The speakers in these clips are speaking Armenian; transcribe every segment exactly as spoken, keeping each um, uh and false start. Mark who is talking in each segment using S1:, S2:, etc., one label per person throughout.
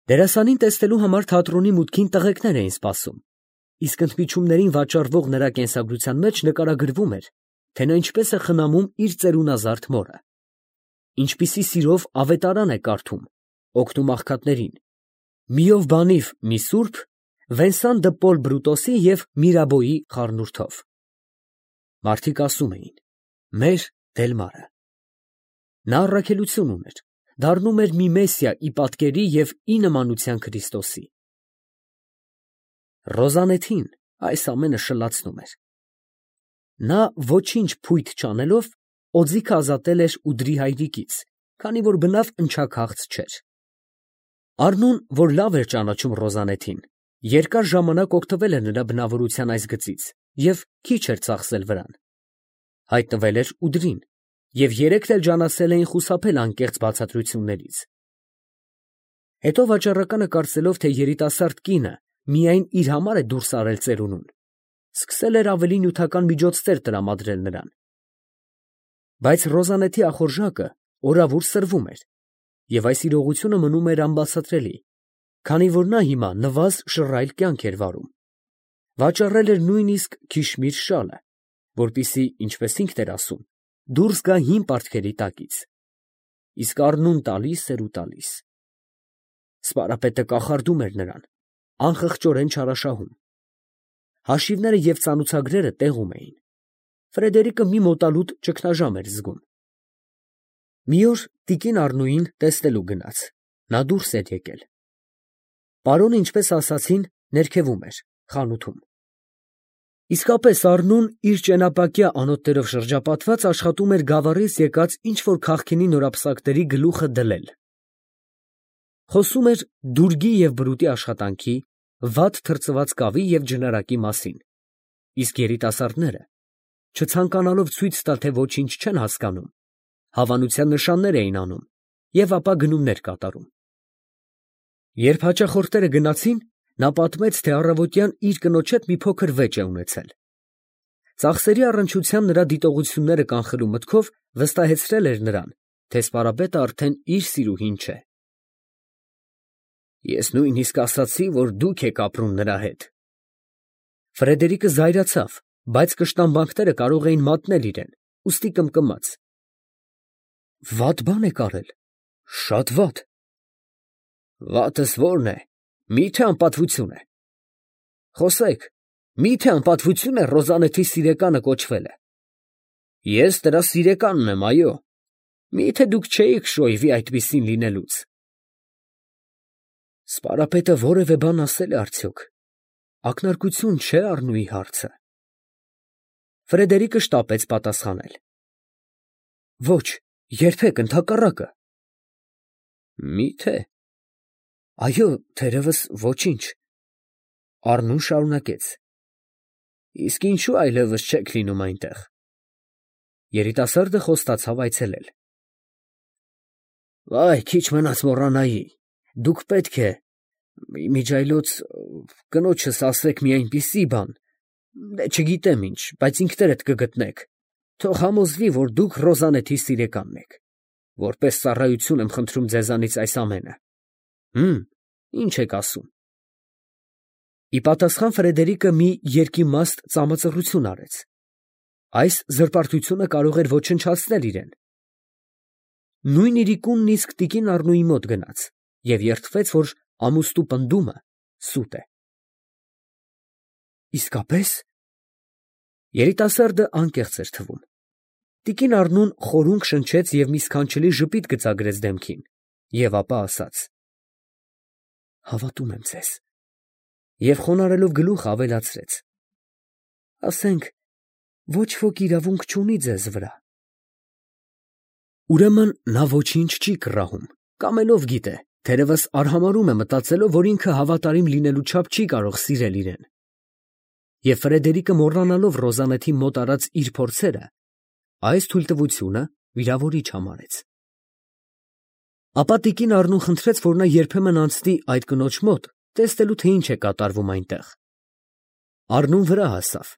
S1: Դերասանին տեսնելու համար թատրոնի մուտքին տղեկներ էին սպասում, իսկ ընդմիջումներին վաճառվող նրա կենսագրության մեջ նկարագրվում էր, թե նա ինչպես է խնամում իր ծերունազարդ մորը, ինչպիսի սիրով ավետարան է կարդում, օգնում աղքատներին, միով բանիվ մի սուրբ, Վենսան դը Պոլ Բրուտոսի և Միրաբոյի խառնուրդով։ Մարդիկ ասում էին. մեր Դելմարը։ Նա առաքելություն ուներ, դառնում էր մի Մեսիա ի պատկերի և ի նմանության Քրիստոսի։ Ռոզանեթին այս ամենը շլացնում էր։ Նա ոչինչ փույթ չանելով օձիքը ազատել էր ուդրի հայրիկից, քանի որ բնավ ընչաքաղց չէր։ Առնուն, որ լավ էր ճանաչում Ռոզանեթին, երկար ժամանակ օգտվել էր նրա բնավորության այս գծից և քիչ էր ծախսել վրան։ Հայտնվել էր ուդրին, և երեքն էլ ջանացել էին խուսափել անկեղծ բացատրություններից։ Հետո վաճառականը կարծելով, թե երիտասարդ կինը միայն իր համար է դուրս արել ծերունուն, սկսել էր ավելի նյութական միջոցներ տրամադրել նրան։ Բայց Ռոզանեթի ախորժակը օրավուր սրվում էր, և այս իրողությունը մնում էր անբացատրելի, քանի որ նա հիմա նվազ շռայլ կյանք էր վարում, վաճառել էր նույնիսկ քիշմիր շալը, որպեսզի, ինչպես ինքն էր ասում, դուրս գա հին պարտքերի տակից, իսկ առնուն տալիս էր ու տալիս։ Սպարապետը կախարդում էր նրան, անխղճորեն չարաշահում։ Հաշիվները և ծանուցագրերը տեղում էին։ Ֆրեդերիկը մի մոտալուտ ճգնաժամ էր զգում։ Մի օր տիկին Առնուին տեսնելու գնաց, նա դուրս էր եկել։ Պարոնը, ինչպես ասացին, ներքևում էր, խանութում։ Իսկապես Առնուն իր ճենապակյա անոթներով շրջապատված աշխատում էր գավառից եկած ինչ֊որ քաղքենի նորապսակների գլուխը դլել։ Խոսում էր դուրգի և բրուտի աշխատանքի, վատ թրծված կավի և ջնարակի մասին, իսկ երիտասարդները, չցանկանալով ցույց տալ, թե ոչինչ չեն հասկանում, հավանության նշաններ էին անում և ապա գնումներ կատարում։ Երբ հաճախորդները գնացին, նա պատմեց, թե առավոտյան իր կնոջ հետ մի փոքր վեճ է ունեցել։ Ծախսերի առնչությամբ նրա դիտողությունները կանխելու մտքով վստահեցրել էր նրան, թե սպարապետը արդեն իր սիրուհին չէ։ Ես նույնիսկ ասացի, որ դուք եք ապրում նրա հետ։ Ֆրեդերիկը զայրացավ, բայց կշտամբանքները կարող էին մատնել իրեն, ուստի կմկմաց. Վատ բան եք արել, շատ վատ։ Վատս ո՞րն է, մի՞թե անպատվություն է։ Խոսեք, մի՞թե անպատվություն է Ռոզանեթի սիրեկանը կոչվելը։ Ես նրա սիրեկանն եմ, այո։ Մի՞թե դուք չէիք շոյվի այդպիսին լինելուց։ Սպարապետը որևէ բան ասել է արդյոք, ակնարկություն չէ Առնուի հարցը։ Ֆրեդերիկը շտապեց պատասխանել. Ոչ, երբեք, ընդհակառակը։ Մի՞թե։ Այո, թերևս ոչինչ։ Առնուն շարունակեց. Իսկ ինչու այլևս չեք լինում այնտեղ։ Երիտասարդը խոստացավ այցելել։ Վայ, քիչ մնաց մոռանայի, դուք պետք է, իմիջիայլոց, կնոջս ասեք մի այնպիսի բան, չգիտեմ ինչ, բայց ինքներդ կգտնեք, թող համոզվի, որ դուք Ռոզանեթի սիրեկանն եք, որպես ծառայություն եմ խնդրում ձեզանից այս ամենը։ Հըմ, ինչ եք ասում։ Ի պատասխան Ֆրեդերիկը մի երկիմաստ ծամածռություն արեց։ Այս զրպարտությունը կարող էր ոչնչացնել իրեն։ Նույն իրիկունն իսկ տիկին Առնուի մոտ գնաց և երդվեց, որ ամուստու պնդումը սուտ է։ Իսկապես։ Երիտասարդը անկեղծ էր թվում։ Տիկին Առնուն խորունգ շնչեց և մի սքանչելի ժպիտ գծագրեց դեմքին և ապա ասաց. Հավատում եմ ձեզ։ Եվ խոնարհելով գլուխը ավելացրեց. ասենք, ոչ ոք իրավունք չունի ձեզ վրա։ Ուրեմն նա ոչինչ չի կռահում, կամելով գիտե, թերևս արհամարհում է մտածելով, որ ինքը հավատարիմ լինելու չափ չի կարող սիրել իրեն։ Եվ Ֆրեդերիկը մոռանալով Ռոզանեթի մոտ արած իր փորձերը, այս թույլտվությունը վիրավորիչ համարեց։ Ապա տիկին Առնուն խնդրեց, որ նա երբեմն անցնի այդ կնոջ մոտ, տեսնելու, թե ինչ է կատարվում այնտեղ։ Առնուն վրա հասավ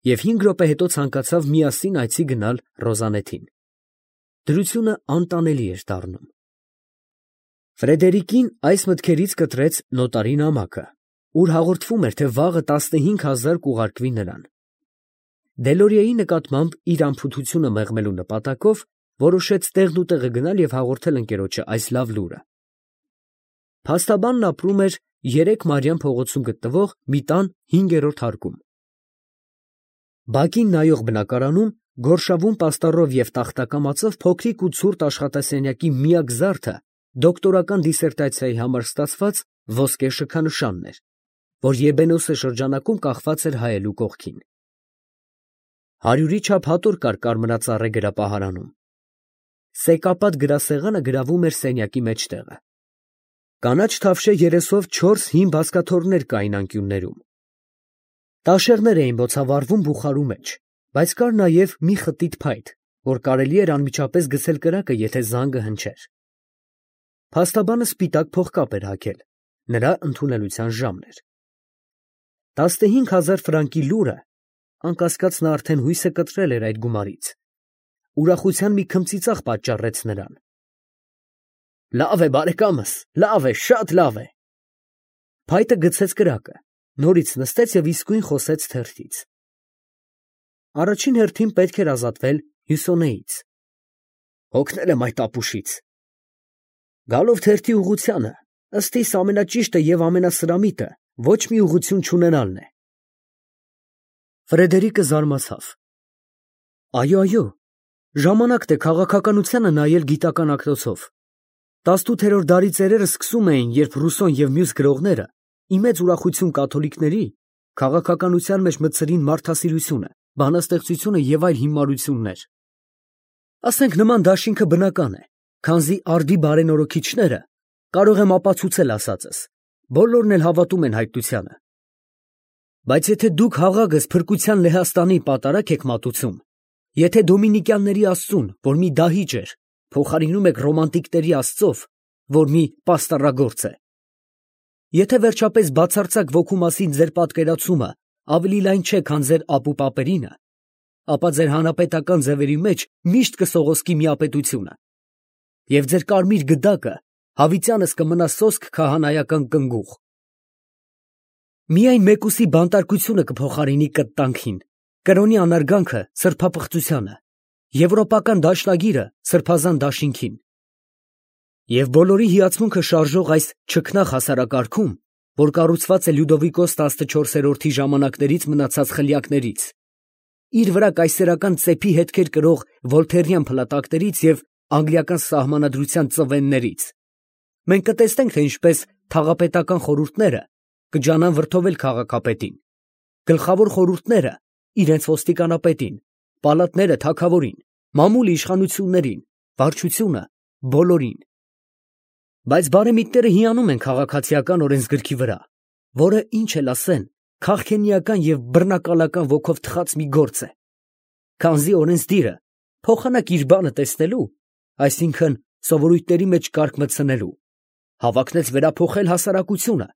S1: և հինգ րոպե հետո ցանկացավ միասին այցի գնալ Ռոզանեթին։ Դրությունը անտանելի էր դառնում։ Ֆրեդերիկին այս մտքերից կտրեց նոտարի նամակը, ուր հաղորդվում էր, թե վաղը տասնհինգ հազար կուղարկվի նրան։ Դելորիեի նկատմամբ իր անփութությունը մեղմելու նպատակով որոշեց տեղնուտեղը գնալ և հաղորդել ընկերոջը այս լավ լուրը։ Փաստաբանն ապրում էր երեք Մարիամ փողոցում գտնվող մի տան հինգերորդ հարկում։ Բակին նայող բնակարանում գորշավուն պաստառով և տախտակամածով փոքրիկ ու ցուրտ աշխատասենյակի միակ զարդը դոկտորական դիսերտացիայի համար ստացված ոսկե շքանշանն էր, որ Եբենոսե շրջանակում կախված էր հայելու կողքին։ Հարյուրի չափ հատոր կար կարմրածառե գրապահարանում։ Սեկապատ գրասեղանը գրավում էր սենյակի մեջտեղը։ Կանաչ թավշե երեսով չորս հին բազկաթոռներ կային անկյուններում։ Տաշեղներ էին բոցավառվում բուխարու մեջ, բայց կար նաև մի խտիտ փայտ, որ կարելի էր անմիջապես գցել կրակը, եթե զանգը հնչեր։ Փաստաբանը սպիտակ փողկապ էր հագել, նրա ընդունելության ժամն էր։ Տասնհինգ հազար ֆրանկի լուրը, անկասկած նա արդեն հույսը կտրել էր այդ գումարից, ուրախության մի քմծիծաղ պատճառեց նրան։ Լավ է, բարեկամս, լավ է, շատ լավ է։ Փայտը գցեց կրակը, նորից նստեց և իսկույն խոսեց թերթից։ Առաջին հերթին պետք էր ազատվել Հյուսոնեից։ Հոգնել եմ այդ ապուշից։ Գալով թերթի ուղղությանը, ըստ իս ամենաճիշտը և ամենասրամիտը ոչ մի ուղղություն չունենալն է։ Ֆրեդերիկը զարմացավ։ Այո, այո, ժամանակն է քաղաքականությանը նայել գիտական ակնոցով։ Տասնութերորդ դարի ծերերը սկսում էին, երբ Ռուսոն և մյուս գրողները, ի մեծ ուրախություն կաթոլիկների, քաղաքականության մեջ մտցրին մարդասիրությունը, բանաստեղծությունը և այլ հիմարություններ։ Ասենք նման դաշինքը բնական է, քանզի արդի բարենորոգիչները, կարող եմ ապացուցել ասածս, բոլորն էլ հավատում են հայտնությանը։ Բայց եթե դուք հաղագս փրկության Լեհաստանի պատարագ եք մատուցում, եթե դոմինիկյանների աստծուն, որ մի դահիճ էր, փոխարինում եք ռոմանտիկների աստծով, որ մի պաստառագործ է, եթե վերջապես բացարձակ ոգու մասին ձեր պատկերացումը ավելի լայն չէ, քան ձեր ապուպապերինը, ապա ձեր հանրապետական ձևերի մեջ միշտ կսողոսկի միապետությունը, և ձեր կարմիր գդակը հավիտյանս կմնա սոսկ քահանայական կնգուղ։ Միայն մեկուսի բանտարկությունը կփոխարինի կտտանքին, կրոնի անարգանքը սրբապղծությանը, եվրոպական դաշնագիրը սրբազան դաշինքին։ Եվ բոլորի հիացմունքը շարժող այս չքնաղ հասարակարգում, որ կառուցված է Լյուդովիկոս տասնչորսերորդի ժամանակներից մնացած խլյակներից, իր վրա կայսերական ծեփի հետքեր կրող վոլթերյան փլատակներից և անգլիական սահմանադրության ծվեններից, մենք կտեսնենք, թե ինչպես թաղապետական խորհուրդները կջանան վրդովել քաղաքապետին, գլխավոր խորհուրդները իրենց ոստիկանապետին, պալատները թագավորին, մամուլը իշխանություններին, վարչությունը բոլորին։ Բայց բարեմիտները հիանում են քաղաքացիական օրենսգրքի վրա, որը, ինչ էլ ասեն, քաղքենիական և բռնակալական ոգով թխած մի գործ է, քանզի օրենսդիրը փոխանակ իր բանը տեսնելու, այսինքն սովորույթների մեջ կարգ մտցնելու, հավակնեց վերափոխել հասարակությունը,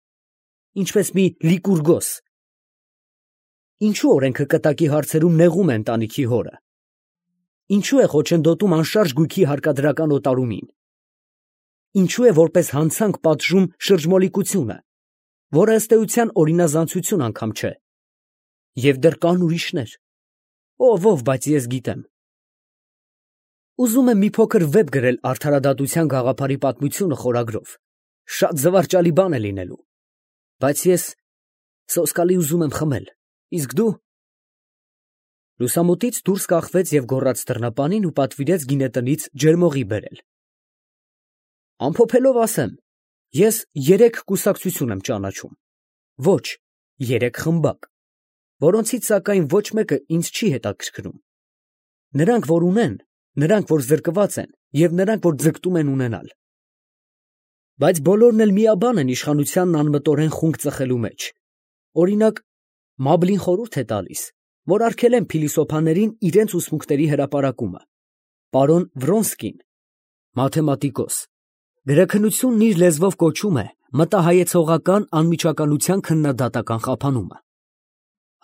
S1: ինչպես մի Լիկուրգոս։ Ինչու օրենքը կտակի հարցերում նեղում է ընտանիքի հորը։ Ինչու է խոչընդոտում անշարժ գույքի հարկադրական օտարումին։ Ինչու է որպես հանցանք պատժում շրջմոլիկությունը, որը ըստ էության օրինազանցություն անգամ չէ։ Եվ դեռ կան ուրիշներ։ Ով, ով, բայց ես գիտեմ։ Ուզում եմ մի փոքր վեպ գրել արդարադատության գաղափարի պատմությունը խորագրով, շատ զվարճալի բան է լինելու, բայց ես սոսկալի ուզում եմ խմել, իսկ դու… Լուսամուտից դուրս կախվեց և գոռաց դռնապանին ու պատվիրեց գինետնից ջերմողի բերել։ Ամփոփելով ասեմ, ես երեք կուսակցություն եմ ճանաչում, ոչ, երեք խմբակ, որոնցից սակայն ոչ մեկը ինձ չի հետաքրքրում։ Նրանք, որ ունեն, նրանք, որ զրկված են, և նրանք, որ ձգտում են ունենալ։ Բայց բոլորն էլ միաբան են իշխանությանն անմտորեն խունկ ծխելու մեջ։ Օրինակ, Մաբլին խորհուրդ է տալիս, որ արգելեն փիլիսոփաներին իրենց ուսմունքների հրապարակումը։ Պարոն Վրոնսկին, մաթեմատիկոս, գրաքննությունն իր լեզվով կոչում է մտահայեցողական անմիջականության քննադատական խափանումը։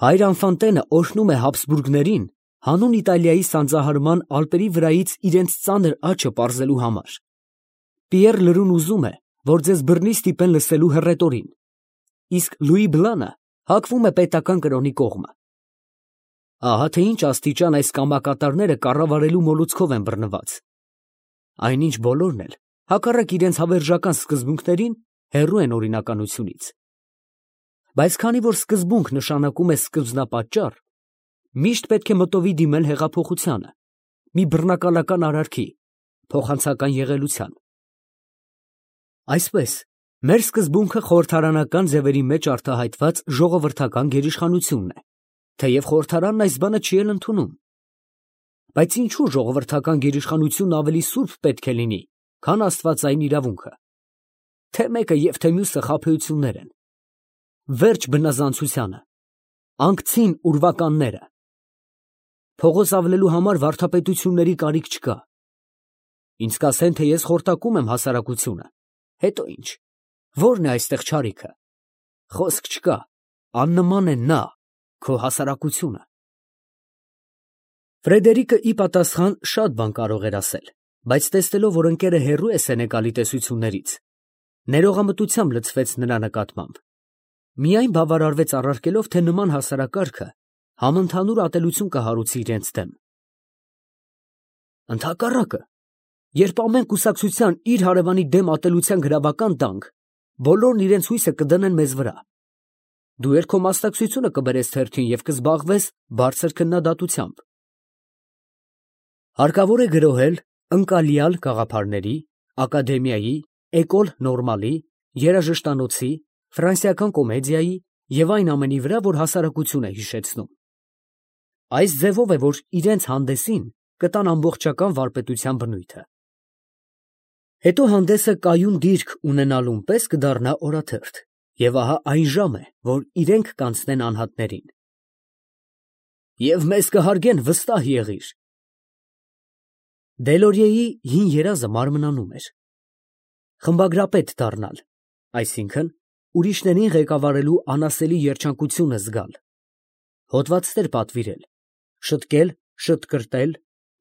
S1: Հայր Անֆանտենը օրհնում է Հաբսբուրգներին հանուն Իտալիայի սանձահարման Ալպերի վրայից իրենց ծանր աճը պարզելու համար։ Պիեռ Լրուն ուզում է, որ ձեզ բռնի ստիպեն լսելու հռետորին, իսկ Լուի Բլանը հակվում է պետական կրոնի կողմը։ Ահա թե ինչ աստիճան այս կամակատարները կառավարելու մոլուցքով են բռնված։ Այնինչ բոլորն էլ, հակառակ իրենց հավերժական սկզբունքներին, հեռու են օրինականությունից։ Բայց քանի որ սկզբունք նշանակում է սկզբնապատճառ, միշտ պետք է մտովի դիմել հեղափոխությանը, մի բռնակալական արարքի, փոխանցական եղելության։ Այսպես, մեր սկզբունքը խորհրդարանական ձևերի մեջ արտահայտված ժողովրդական գերիշխանությունն է, թեև խորհրդարանն այս բանը չի էլ ընդունում։ Բայց ինչու ժողովրդական գերիշխանությունն ավելի սուրբ պետք է լինի, քան աստվածային իրավունքը։ Թե մեկը և թե մյուսը խաբեություններ են։ Վերջ բնազանցությանը, անկցին ուրվականները։ Փողոց ավլելու համար վարդապետությունների կարիք չկա։ Ինձ կասեն, թե ես խորտակում եմ հասարակությունը, հետո ինչ, ո՞րն է այստեղ չարիքը։ Խոսք չկա, աննման է նա, քո հասարակությունը։ Ֆրեդերիկը ի պատասխան շատ բան կարող էր ասել, բայց տեսնելով, որ ընկերը հեռու է Սենեկալի տեսություններից, ներողամտությամբ լցվեց նրա նկատմամբ։ Միայն բավարարվեց առարկելով, թե նման հասարակարգը համընդհանուր ատելություն կհարուցի իրենց դեմ։ Ընդհակառակը, երբ ամեն կուսակցության իր հարևանի դեմ ատելության գրավական տանք, բոլորն իրենց հույսը կդնեն մեզ վրա։ Դու էլ քո մասնակցությունը կբերես թերթին և կզբաղվես բարձր քննադատությամբ։ Հարկավոր է գրոհել ընկալյալ գաղափարների, ակադեմիայի, էկոլ նորմալի, երաժշտանոցի, ֆրանսիական կոմեդիայի և այն ամենի վրա, որ հասարակություն է հիշեցնում։ Այս ձևով է, որ իրենց հանդեսին կտան ամբողջական վարպետության բնույթը։ Հետո հանդեսը կայուն դիրք ունենալուն պես կդառնա օրաթերթ, և ահա այն ժամ է, որ իրենք կանցնեն անհատներին։ Եվ մեզ կհարգեն, վստահ եղիր։ Դելորիեի հին երազը մարմնանում էր։ Խմբագրապետ դառնալ, այսինքն ուրիշներին ղեկավարելու անասելի երջանկությունը զգալ, հոդվածներ պատվիրել, շտկել, շտկրտել,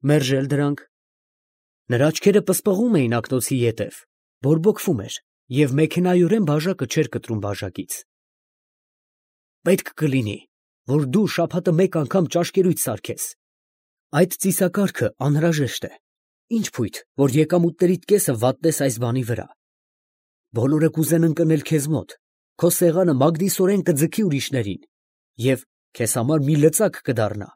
S1: մերժել դրանք։ Նրա աչքերը պսպղում էին ակնոցի ետև, բորբոքվում էր և մեքենայորեն բաժակը չէր կտրում բաժակից։ Պետք կլինի, որ դու շաբաթը մեկ անգամ ճաշկերույց սարքես։ Այդ ծիսակարգը անհրաժեշտ է։ Ինչ փույթ, որ եկամուտներիդ կեսը վատնես այս բանի վրա։ Բոլորը կուզեն ընկնել քեզ մոտ, քո սեղանը մագդիսորեն կձգի ուրիշներին, և քեզ համար մի լծակ կդառնա։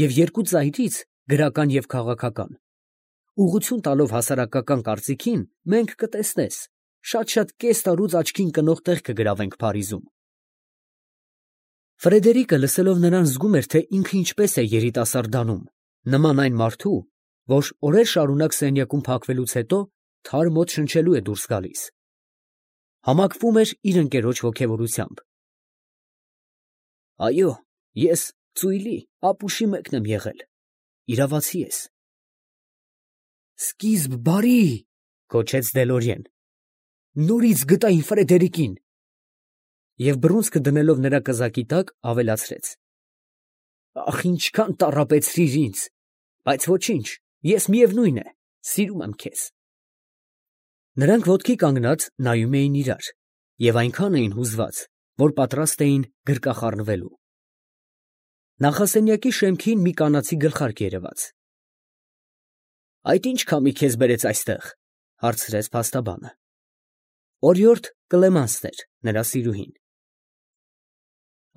S1: Եվ երկու ծայրից, գրական և քաղաքական, ուղղություն տալով հասարակական կարծիքին, մենք կտեսնես, շատ-շատ կես տարուց աչքին կնող տեղ կգրավենք Փարիզում։ Ֆրեդերիկը լսելով նրան զգում էր, թե ինքը ինչպես է երիտասարդանում, նման այն մարդու, որ օրեր շարունակ սենյակում փակվելուց հետո թարմ օդ շնչելու է դուրս գալիս։ Համակվում էր իր ընկերոջ ոգևորությամբ։ Այո, ես ծույլի ապուշի մեկն եմ եղել, իրավացի ես։ Սկիզբ բարի, գոչեց Դելորիեն, նորից գտա իմ Ֆրեդերիկին։ Եվ բռունցքը դնելով նրա կզակի տակ, ավելացրեց. Ախ, ինչքան տառապեցրիր ինձ, բայց ոչինչ, ես միևնույն է, սիրում եմ քեզ։ Նրանք ոտքի կանգնած նայում էին իրար և այնքան էին հուզված, որ պատրաստ էին գրկախառնվելու։ Նախասենյակի շեմքին մի կանացի գլխարկ երևաց։ Այդ ի՞նչ քամի քեզ բերեց այստեղ, հարցրեց փաստաբանը։ Օրիորդ Կլեմանսն էր, նրա սիրուհին։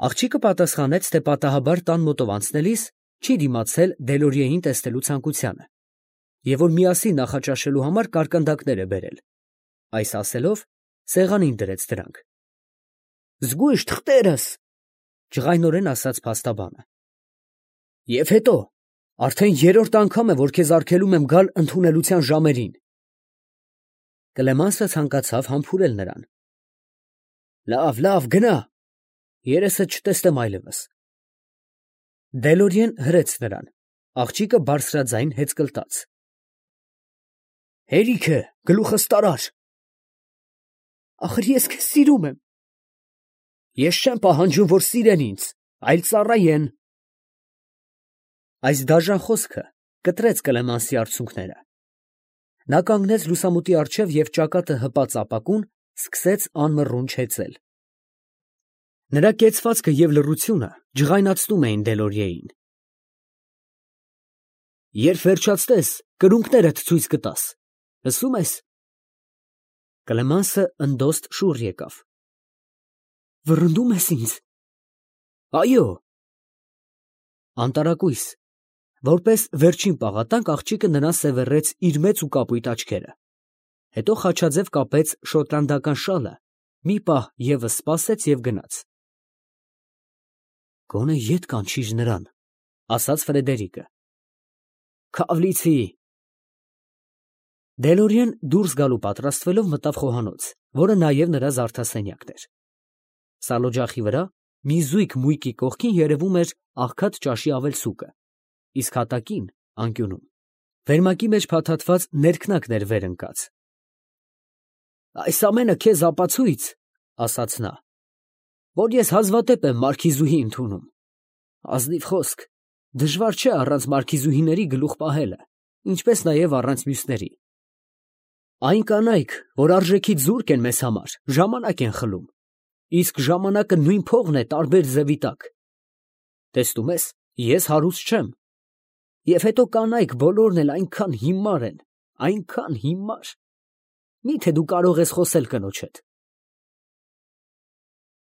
S1: Աղջիկը պատասխանեց, թե պատահաբար տան մոտով անցնելիս չի դիմացել Դելորիեին տեսնելու ցանկությանը, և որ միասին նախաճաշելու համար կարկանդակներ է բերել։ Այս ասելով, սեղանին դրեց դրանք։ Զգույշ թղթերս, ջղայնորեն ասաց փաստաբանը։ Եվ հետո, արդեն երրորդ անգամ է, որ քեզ արգելում եմ գալ ընդունելության ժամերին։ Կլեմանսը ցանկացավ համբուրել նրան։ Լավ, լավ, գնա, երեսդ չտեսնեմ այլևս։ Դելորիեն հրեց նրան, աղջիկը բարձրաձայն հեծկլտաց։ Հերիքը, գլուխս տարար։ Ախր ես քեզ սիրում եմ։ Ես չեմ պահանջում, որ սիրեն ինձ, այլ ծառայեն։ Այս դաժան խոսքը կտրեց Կլեմանսի արցունքները։ Նա կանգնեց լուսամուտի առջև և ճակատը հպած ապակուն սկսեց անմռունչ հեծել։ Նրա կեցվածքը և լռությունը ջղայնացնում էին Դելորիեին։ Երբ վերջացնես, կրունկներդ ցույց կտաս, լսո՞ւմ ես։ Կլեմանսը ընդոստ շուռ եկավ։ Վռնդում ես ինձ։ Այո։ Անտարակույս, որպես վերջին պաղատանք աղջիկը նրան սևեռեց իր մեծ ու կապույտ աչքերը, հետո խաչաձև կապեց շոտլանդական շալը, մի պահ ևս սպասեց և գնաց։ Գոնե ետ կանչիր նրան, ասաց Ֆրեդերիկը։ Քավլիցի։ Դելորիեն դուրս գալու պատրաստվելով մտավ խոհանոց, որը նաև նրա զարդասենյակն էր։ Սալօջախի վրա մի զույգ մույկի կողքին երևում էր աղքատ ճաշի ավելցուկը, իսկ հատակին, անկյունում, վերմակի մեջ փաթաթված ներքնակն էր վեր ընկած։ Այս ամենը քեզ ապացույց, ասաց նա, որ ես հազվադեպ եմ մարքիզուհի ընդունում։ Ազնիվ խոսք, դժվար չէ առանց մարքիզուհիների գլուխ պահելը, ինչպես նաև առանց մյուսների։ Այն կանայք, որ արժեքից զուրկ են մեզ համար, ժամանակ են խլում, իսկ ժամանակը նույն փողն է տարբեր ձևի տակ։ Տեսնում ես, ես հարուստ չեմ։ Եվ հետո կանայք բոլորն էլ այնքան հիմար են, այնքան հիմար։ Մի՞թե դու կարող ես խոսել կնոջ հետ։